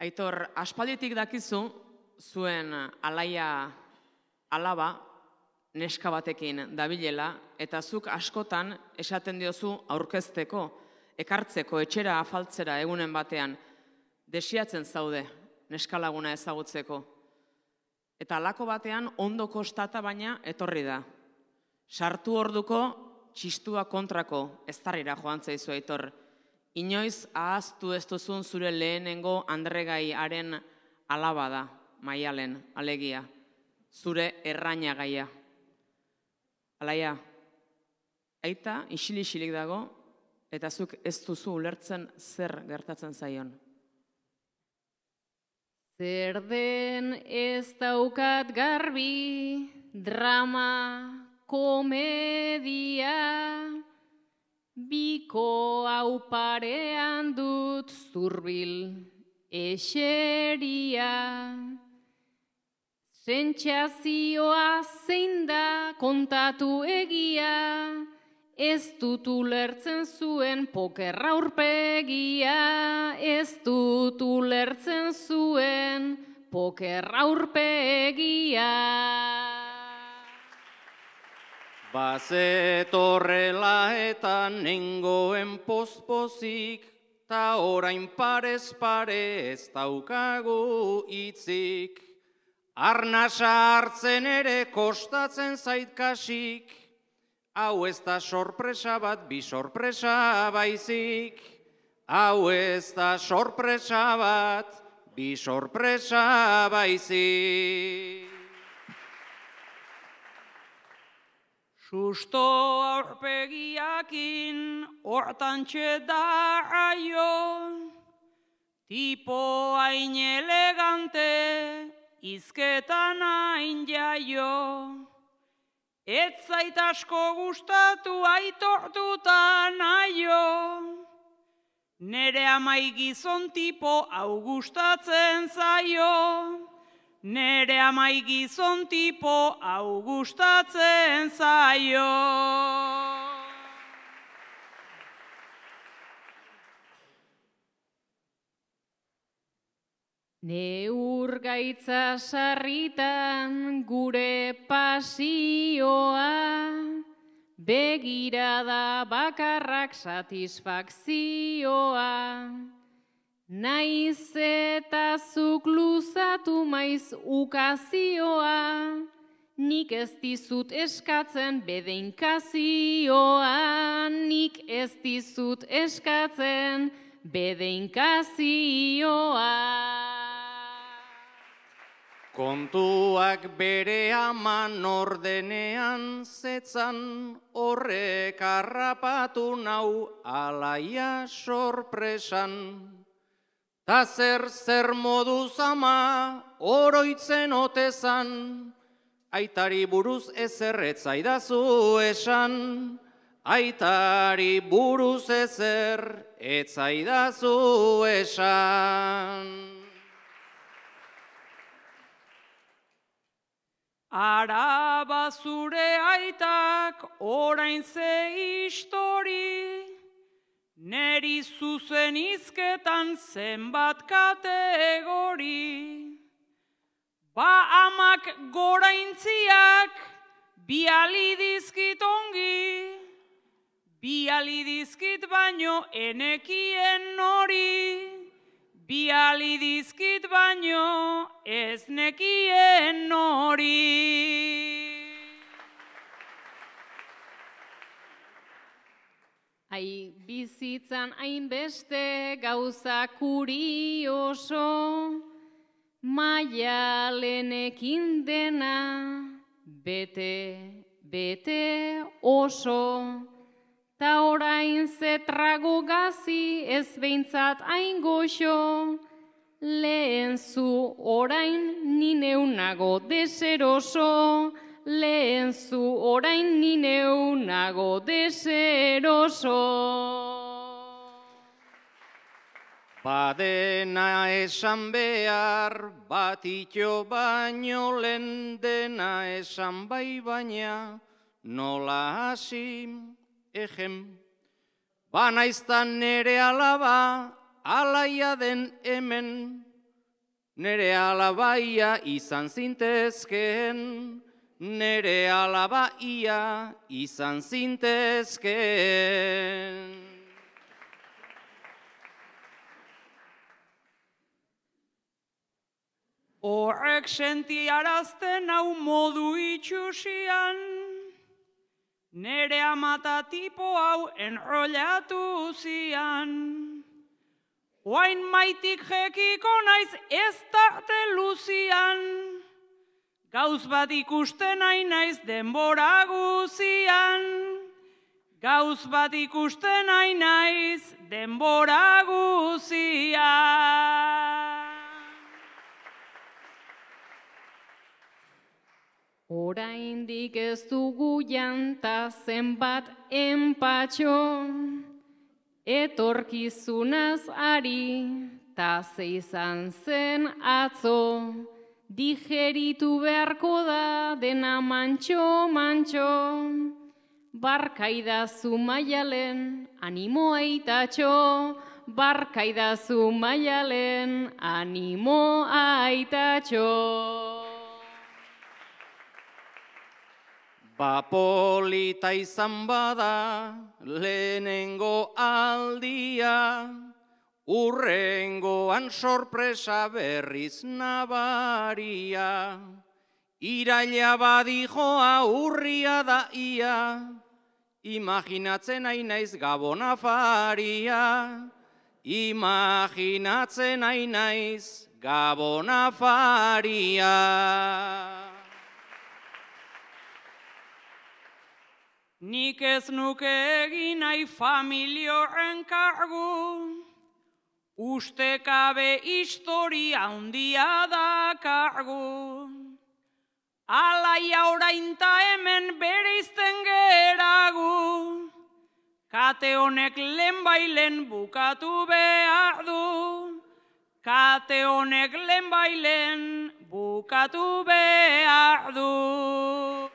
Aitor, aspalditik dakizu, zuen alaia alaba neska batekin dabilela, eta zuk askotan esaten diozu aurkezteko, ekartzeko, etxera afaltzera egunen batean, desiatzen zaude neskalaguna ezagutzeko. Eta halako batean ondo kostata baina etorri da. Sartu orduko txistua kontrako eztarrira joan zaizu, Aitor. Inoiz ahaztu ez duzun zure lehenengo andregaiaren alaba da, Maialen, alegia, zure errainagaia. Alaia, aita isilik dago, eta zuk ez duzu ulertzen zer gertatzen zaion. Zer den ez daukat garbi, drama, komedia, biko hau parean dut zurbil eseria. Sentsazioa zein da kontatu egia, ez dut ulertzen zuen pokerra aurpegia, ez dut ulertzen zuen pokerra aurpegia. Bazetorrela eta nengoen pozpozik, ta orain parez pare ez daukagu hitzik. Arnasa hartzen ere kostatzen zait kasik, hau ez da sorpresa bat, bi sorpresa baizik. Hau ez da sorpresa bat, bi sorpresa baizik. Susto aurpegiakin hortantxe da aio, tipo hain elegante, izketan hain jaio. Ez zait asko gustatu aitortuta naio, nere amai gizon tipo hau gustatzen zaio. Nere amai gizon tipo hau gustatzen zaio. Neur gaitza sarritan gure pasioa, begirada bakarrak satisfakzioa. Naiz eta zuk luzatu maiz ukazioa, nik ez dizut eskatzen bedeinkazioa, nik ez dizut eskatzen bedeinkazioa. Kontuak bere aman ordenean zetzan, horrek harrapatu nau alaia sorpresan. Ta zer moduz ama oroitzen otezan, aitari buruz ezer etzaidazu esan. Aitari buruz ezer etzaidazu esan. Araba zure aitak orain ze histori, neri zuzen hizketan zenbat kategori. Ba amak goraintziak biali dizkit ongi, biali dizkit baino enekien nori. Biali dizkit baino ez nekien nori. Ai bizitzan hainbeste gauza kurioso, Maialenekin dena bete oso. Ta orain zetrago gazi ez behintzat hain goxo, lehen zu orain ni neunago deseroso, lehen zu orain ni neunago deseroso. Badena esan behar, batitxo baino lehen dena esan bai baina, nola hasi ejem. Banaiztan nere alaba, alaia den hemen, nere alabaia izan zintezken, nere alabaia izan zintezken. Horrek sentiarazten hau modu itxusian, nere amata tipo hau enrollatu zian. Oain maitik jekiko naiz ez tarte luzian, gauz bat ikusten nahi naiz denbora guzian. Gauz bat ikusten nahi naiz denbora guzian. Oraindik ez dugu janta zenbat enpatxo, etorkizunaz ari, ta ze izan zen atzo, digeritu beharko da dena mantxo, barkaidazu Maialen, animo aitatxo, barkaidazu Maialen, animo aitatxo. Ba polita izan bada lehenengo aldia, urrengoan sorpresa berriz nabaria. Iraila badijoa urria da ia, imaginatzen nahi naiz Gabon afaria. Imaginatzen nahi naiz Gabon afaria. Nik ez nuke egin nahi familioren kargu, ustekabe historia handia da kargu. Alaia orainta hemen bereizten geragu, kate honek lehenbailen bukatu behar du. Kate honek lehenbailen bukatu behar du.